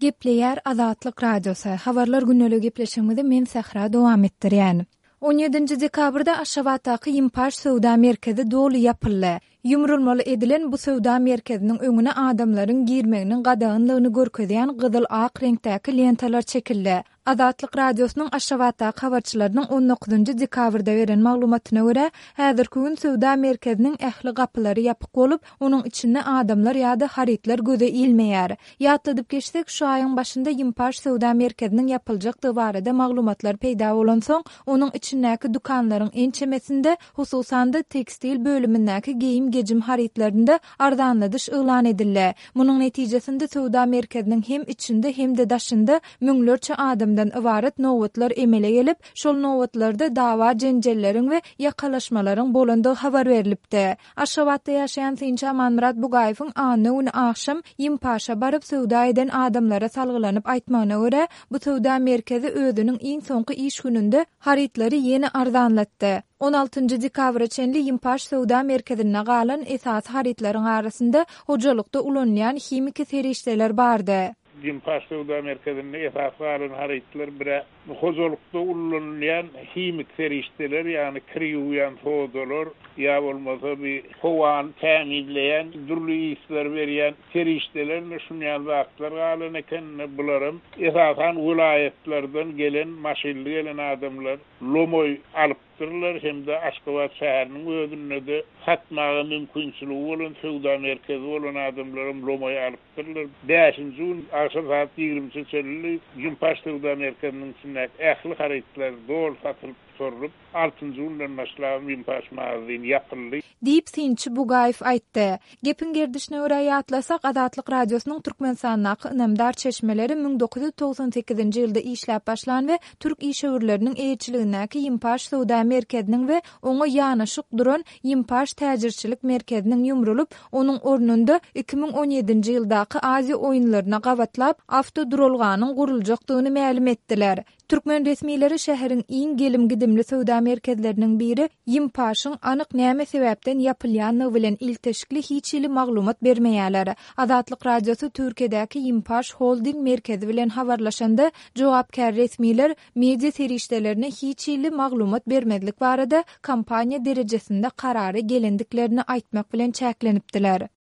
Gepleýär Azatlyk Radiosy. Habarlar gündeligi gepleşigimizi men Sähra dowam etdirýän. On ýedinji dekabrda Aşgabatdaky Ýimpaş söwda merkezi doly ýapyldy. Ýumrulmaly edilen bu söwda merkeziniň öňüne adamlaryň girmeginiň gadaganlygyny görkezýän gyzyl-ak reňkdäki lentalar çekildi. Azatlyk Radiosynyň Aşgabatdaky habarçylarynyň on dokuzynjy dekabrda beren maglumatyna görä, häzirki gün söwda merkeziniň ähli gapylary ýapyk bolup, onuň içinde adamlar ýa-da harytlar göze ilmeýär. Ýatladyp geçsek, şu aýyň başynda Ýimpaş söwda merkeziniň ýapyljakdygy barada maglumatlar peýda bolansoň, onuň içindäki dükanlaryň ençemesinde, hususan-da, tekstil bölümindäki geýim-gejim harytlarynda arzanladyş yglan edildi. Munuň netijesinde söwda merkeziniň hem içinde, hem-de daşynda müňlerçe adamdan ybarat nobatlar emele gelip, şol nobatlarda dawa-jenjelleriň we ýakalaşmalaryň bolandygy habar berlipdi. Aşgabatda ýaşaýan synçy Amanmyrat Bugaýewiň anna güni agşam Ýimpaşa baryp söwda eden adamlara salgylanyp aýtmagyna görä, bu söwda merkezi özüniň iň soňky iş gününde harytlary ýene arzanlatdy. On altynjy dekabra çenli Ýimpaş söwda merkezinde galan esasy harytlaryň arasynda hojalykda ulanylýan himiki serişdeler bardy. Ýimpaş söwda merkezinde esasy galan harytlar bir-ä hojalykda ullanylýan himik serişdeler, ýagny kir ýuwýan sodalar ýa bolmasa bir howany tämizleýän, dürli yslar berýän serişdeler ine şun ýaly zatlar galan eken. Ine bularam esasan welaýatlardan gelen maşynly gelen adamlar lomaý alypdyrlar hem-de Aşgabat şäheriniň özünde-de satmaga mümkinçiligi bolan söwda merkezi bolan adamlaram lomaý alypdyrlar. Bäşinji gün agşam sagat ýigrimçe çenli Ýumpaş söwda merkeziniň içindäki ähli harytlar doly satylyp gutarylyp, altynjy günden başlabam Ýumpaş magazyny ýapyldy. Diýip, synçy Bugaýew aýtdy. Gepiň gerdişine görä ýatlasak, Azatlyk Radiosynyň Türkmenistandaky ynamdar çeşmeleri 1998-nji ýylda işläp başlan we türk işewürleriniň eýeçiligindäki Ýimpaş söwda merkeziniň we oňa ýanaşyk duran Ýimpaş täjirçilik merkeziniň ýumrulyp, onuň ornunda 2017-nji ýyldaky Aziýa oýunlaryna gabatlap awtoduralganyň guruljakdygyny mälim etdiler. Türkmen resmileri şäheriň iň gelim-gidimli söwda merkezleriniň biri Ýimpaşyň anyk näme sebäpden ýapylýanlygy bilen ilteşikli hiç hili maglumat bermeýärler. Azatlyk Radiosy Türkiýedäki Ýimpaş Holding merkezi bilen habarlaşanda, jogapkär resmiler media serişdelerine hiç hili maglumat bermezlik barada kompaniýa derejesinde karara gelendiklerini aýtmak bilen çäklenipdiler.